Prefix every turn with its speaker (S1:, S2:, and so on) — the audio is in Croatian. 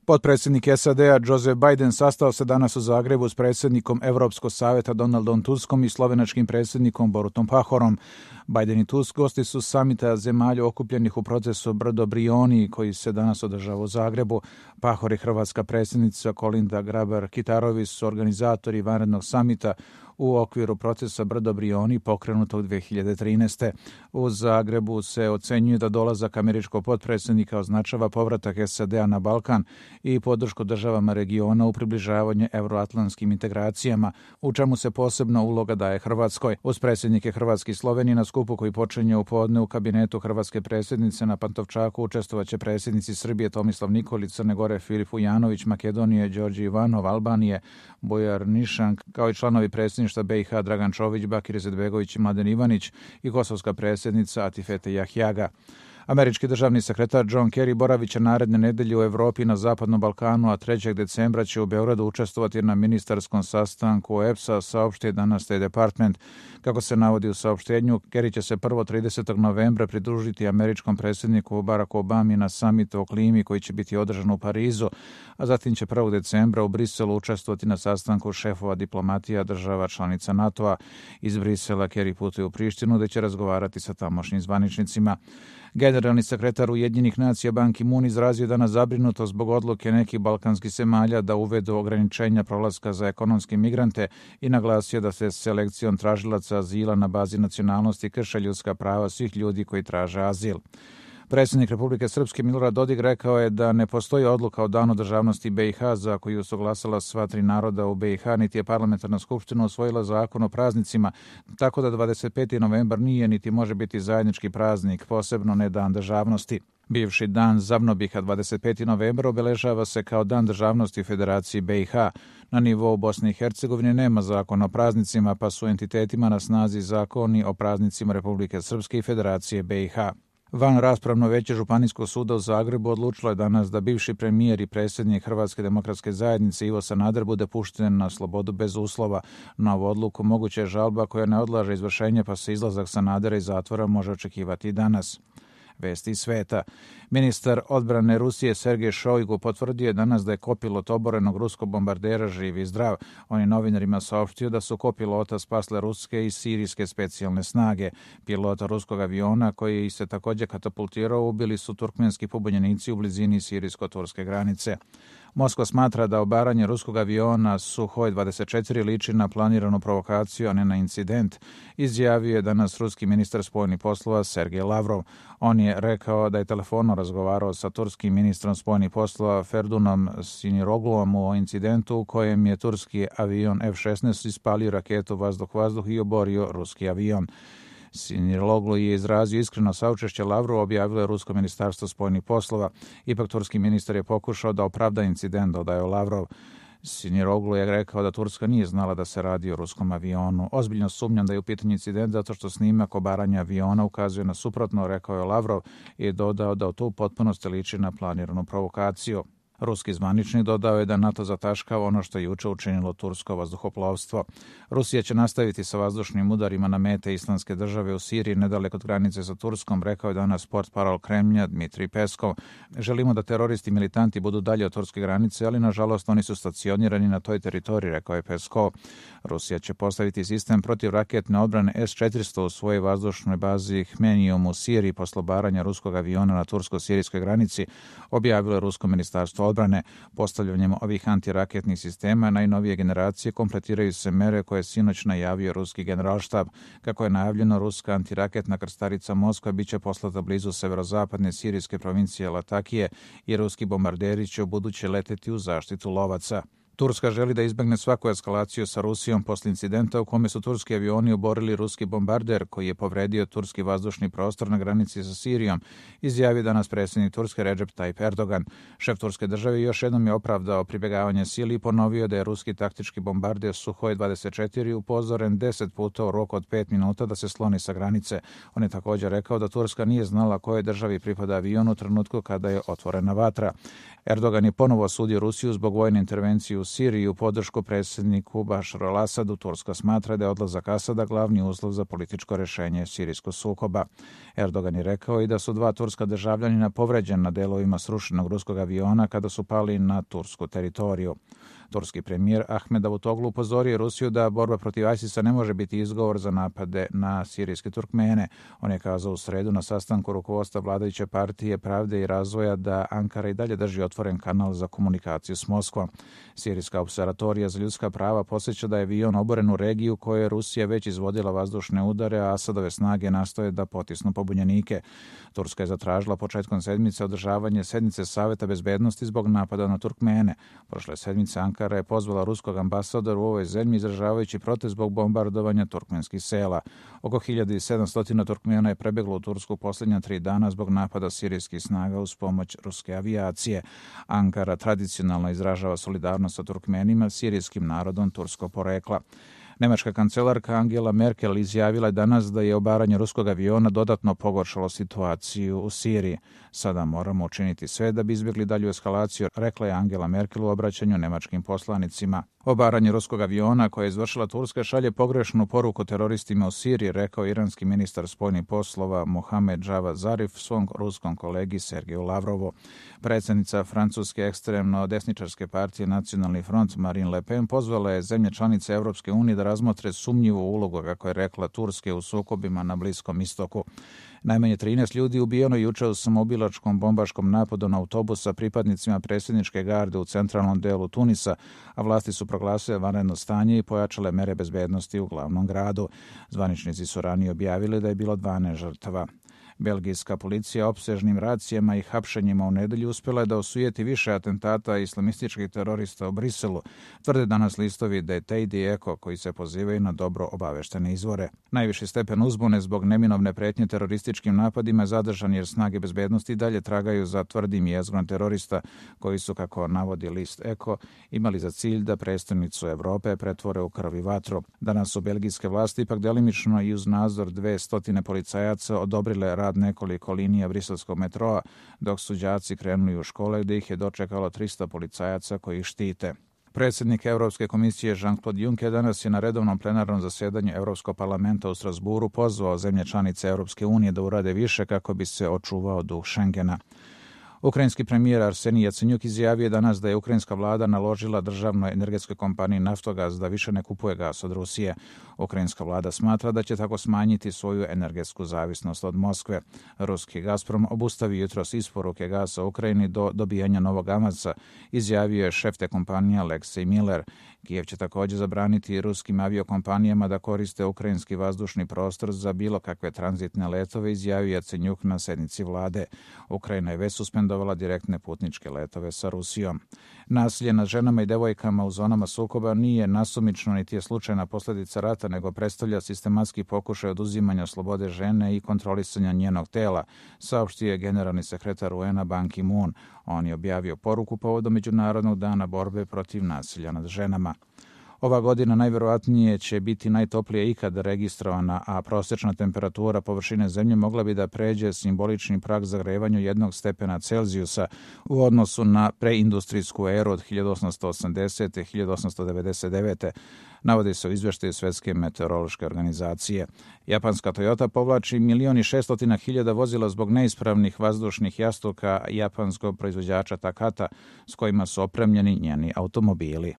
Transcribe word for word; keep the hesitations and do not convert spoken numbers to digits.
S1: Potpredsjednik S A D-a Joseph Biden sastao se danas u Zagrebu s predsjednikom Europskog savjeta Donaldom Tuskom i slovenačkim predsjednikom Borutom Pahorom. Biden i Tusk gosti su samita zemalja okupljenih u procesu Brdo Brioni koji se danas održava u Zagrebu. Pahor i hrvatska predsjednica Kolinda Grabar-Kitarović su organizatori vanrednog samita u okviru procesa Brdo Brioni pokrenutog dvije hiljade trinaeste. U Zagrebu se ocenjuje da dolazak američkog potpredsjednika označava povratak S A D-a na Balkan i podršku državama regiona u približavanje euroatlantskim integracijama, u čemu se posebna uloga daje Hrvatskoj. Uz predsjednike Hrvatske i Slovenije na skupu koji počinje u podne u kabinetu hrvatske predsjednice na Pantovčaku učestvovaće predsjednici Srbije Tomislav Nikolić, Crne Gore Filip Ujanović, Makedonije Đorđe Ivanov, Albanije Bujar Nišank, kao i članovi predsjedništva B i H Dragan Čović, Bakir Izetbegović i Mladen Ivanić i kosovska predsjednica Atifete Jahjaga. Američki državni sekretar John Kerry boravit će naredne nedelje u Europi i na Zapadnom Balkanu, a trećeg decembra će u Beogradu učestvovati na ministarskom sastanku E P S-a, saopštio je danas State Department. Kako se navodi u saopštenju, Kerry će se prvo tridesetog novembra pridružiti američkom predsjedniku Baracku Obami na samitu o klimi koji će biti održan u Parizu, a zatim će prvog decembra u Briselu učestvovati na sastanku šefova diplomatija država članica NATO-a. Iz Brisela Kerry putuje u Prištinu gde će razgovarati sa tamošnjim zvaničnicima. Generalni sekretar Ujedinjenih nacija Ban Ki-moon izrazio danas zabrinutost zbog odluke nekih balkanskih zemalja da uvedu ograničenja prolaska za ekonomske migrante i naglasio da se selekcijom tražilaca azila na bazi nacionalnosti krše ljudska prava svih ljudi koji traže azil. Predsjednik Republike Srpske Milorad Dodik rekao je da ne postoji odluka o danu državnosti B i H za koju su glasala sva tri naroda u B i H, niti je parlamentarna skupština usvojila zakon o praznicima, tako da dvadeset peti novembar nije niti može biti zajednički praznik, posebno ne dan državnosti. Bivši dan Zavnobiha dvadeset peti novembar obeležava se kao dan državnosti u Federaciji B i H. Na nivou Bosne i Hercegovine nema zakona o praznicima, pa su entitetima na snazi zakoni o praznicima Republike Srpske i Federacije B i H. Van raspravno veće Županijskog suda u Zagrebu odlučilo je danas da bivši premijer i predsjednik Hrvatske demokratske zajednice Ivo Sanader bude pušten na slobodu bez uslova. Na ovu odluku moguća je žalba koja ne odlaže izvršenje, pa se izlazak Sanadera iz zatvora može očekivati i danas. Vesti iz sveta. Ministar odbrane Rusije Sergej Šojgu potvrdio je danas da je kopilot oborenog ruskog bombardera živ i zdrav. On je novinarima saopštio da su kopilota spasle ruske i sirijske specijalne snage. Pilota ruskog aviona koji se također katapultirao ubili su turkmenski pobunjenici u blizini sirijsko-turske granice. Moskva smatra da obaranje ruskog aviona Suhoj dvadeset četiri liči na planiranu provokaciju, a ne na incident, izjavio je danas ruski ministar spoljnih poslova Sergej Lavrov. On je rekao da je telefonom razgovarao sa turskim ministrom spoljnih poslova Ferdunom Sinirogluom o incidentu u kojem je turski avion F šesnaest ispalio raketu vazduh-vazduh i oborio ruski avion. Siniroglu je izrazio iskreno saučešće Lavrovu, objavilo je Rusko ministarstvo spoljnih poslova. Ipak turski ministar je pokušao da opravda incident, dodaje Lavrov. Siniroglu je rekao da Turska nije znala da se radi o ruskom avionu. Ozbiljno sumnjam da je u pitanju incident zato što snimak obaranja aviona ukazuje na suprotno, rekao je Lavrov i dodao da to u potpunosti liči na planiranu provokaciju. Ruski zvaničnik dodao je da NATO zataškava ono što je juče učinilo tursko vazduhoplovstvo. Rusija će nastaviti sa vazdušnim udarima na mete Islamske države u Siriji nedaleko od granice sa Turskom, rekao je danas portparol Kremlja Dmitrij Peskov. Želimo da teroristi i militanti budu dalje od turske granice, ali nažalost oni su stacionirani na toj teritoriji, rekao je Peskov. Rusija će postaviti sistem protivraketne odbrane S četiristo u svojoj vazdušnoj bazi Hmenijum u Siriji posle obaranja ruskog aviona na tursko-sirijskoj granici, objavilo je Rusko ministarstvo odbrane. Postavljanjem ovih antiraketnih sistema najnovije generacije kompletiraju se mere koje je sinoć najavio ruski generalštab. Kako je najavljeno, ruska antiraketna krstarica Moskva biće poslata blizu severozapadne sirijske provincije Latakije i ruski bombarderi će u buduće leteti u zaštitu lovaca. Turska želi da izbegne svaku eskalaciju sa Rusijom posle incidenta u kome su turski avioni oborili ruski bombarder koji je povredio turski vazdušni prostor na granici sa Sirijom, izjavio danas predsjednik Turske Recep Tayyip Erdogan. Šef turske države još jednom je opravdao pribjegavanje sili i ponovio da je ruski taktički bombarder Suhoj dvadeset četiri upozoren deset puta u roku od pet minuta da se sloni sa granice. On je također rekao da Turska nije znala kojoj državi pripada avion u trenutku kada je otvorena vatra. Erdogan je ponovo osudio Rusiju zbog vojne intervencije u u Siriji u podršku predsjedniku Bašaru al-Asadu. Turska smatra da je odlazak Asada glavni uslov za političko rješenje sirijskog sukoba. Erdogan je rekao i da su dva turska državljanina povređena na delovima srušenog ruskog aviona kada su pali na tursku teritoriju. Turski premijer Ahmed Davutoglu upozorio Rusiju da borba protiv ISIS-a ne može biti izgovor za napade na sirijske Turkmene. On je kazao u sredu na sastanku rukovodstva vladajuće partije Pravde i razvoja da Ankara i dalje drži otvoren kanal za komunikaciju s Moskvom. Sirijska observatorija za ljudska prava podsjeća da je avion oboren u regiju koje je Rusija već izvodila vazdušne udare, a Asadove snage nastoje da potisnu pobunjenike. Turska je zatražila početkom sedmice održavanje sednice Saveta bezbednosti zbog napada na Turkmene. Prošle sedmice Ankara je pozvala ruskog ambasadora u ovoj zemlji izražavajući protest zbog bombardovanja turkmenskih sela. Oko hiljadu sedamsto Turkmena je prebjeglo u Tursku posljednja tri dana zbog napada sirijskih snaga uz pomoć ruske avijacije. Ankara tradicionalno izražava solidarnost sa Turkmenima, sirijskim narodom turskog porekla. Nemačka kancelarka Angela Merkel izjavila je danas da je obaranje ruskog aviona dodatno pogoršalo situaciju u Siriji. Sada moramo učiniti sve da bi izbjegli dalju eskalaciju, rekla je Angela Merkel u obraćanju nemačkim poslanicima. Obaranje ruskog aviona koje je izvršila Turska šalje pogrešnu poruku teroristima u Siriji, rekao iranski ministar spoljnih poslova Mohamed Javad Zarif svom ruskom kolegi Sergeju Lavrovu. Predsjednica francuske ekstremno desničarske partije Nacionalni front Marine Le Pen pozvala je zemlje članice Europske unije da razmotre sumnjivu ulogu, kako je rekla, Turske u sukobima na Bliskom istoku. Najmanje trinaest ljudi ubijeno juče u samoubilačkom bombaškom napadu na autobus sa pripadnicima predsjedničke garde u centralnom delu Tunisa, a vlasti su proglasile vanredno stanje i pojačale mere bezbednosti u glavnom gradu. Zvaničnici su ranije objavili da je bilo dvanaest žrtava. Belgijska policija opsežnim racijama i hapšenjima u nedelju uspjela je da osujeti više atentata islamističkih terorista u Briselu, tvrde danas listovi The Daily Echo koji se pozivaju na dobro obaveštene izvore. Najviši stepen uzbune zbog neminovne pretnje terorističkim napadima je zadržan jer snage bezbednosti dalje tragaju za tvrdim jezgrom terorista koji su, kako navodi list Echo, imali za cilj da prestonicu Europe pretvore u krv i vatru. Danas su belgijske vlasti ipak delimično i uz nadzor dve stotine policajaca odobrile rad nekoliko linija briselskog metroa, dok su đaci krenuli u škole gdje ih je dočekalo tristo policajaca koji ih štite. Predsjednik Europske komisije Jean-Claude Juncker danas je na redovnom plenarnom zasjedanju Europskog parlamenta u Strasburu pozvao zemlje članice Europske unije da urade više kako bi se očuvao duh Schengena. Ukrajinski premijer Arsenij Jacenjuk izjavio danas da je ukrajinska vlada naložila državnoj energetskoj kompaniji Naftogaz da više ne kupuje gas od Rusije. Ukrajinska vlada smatra da će tako smanjiti svoju energetsku zavisnost od Moskve. Ruski Gazprom obustavio jutros isporuke gasa Ukrajini do dobijanja novog avaca, izjavio je šef te kompanije Aleksej Miller. Kijev će također zabraniti ruskim aviokompanijama da koriste ukrajinski vazdušni prostor za bilo kakve tranzitne letove, izjavio Jacenjuk na sjednici vlade. Ukrajina je već suspendovala direktne putničke letove sa Rusijom. Nasilje nad ženama i devojkama u zonama sukoba nije nasumično niti je slučajna posljedica rata, nego predstavlja sistematski pokušaj oduzimanja slobode žene i kontrolisanja njenog tela, saopštio je generalni sekretar U N-a Ban Ki-moon. On je objavio poruku povodom Međunarodnog dana borbe protiv nasilja nad ženama. Ova godina najvjerojatnije će biti najtoplije ikad registrovana, a prosječna temperatura površine zemlje mogla bi da pređe simbolični prag zagrevanju jednog stepena Celzijusa u odnosu na preindustrijsku eru od hiljadu osamsto osamdesete. do hiljadu osamsto devedeset devete. Navodi se u izvještaju Svjetske meteorološke organizacije. Japanska Toyota povlači milion i šestotina hiljada vozila zbog neispravnih vazdušnih jastuka japanskog proizvođača Takata s kojima su opremljeni njeni automobili.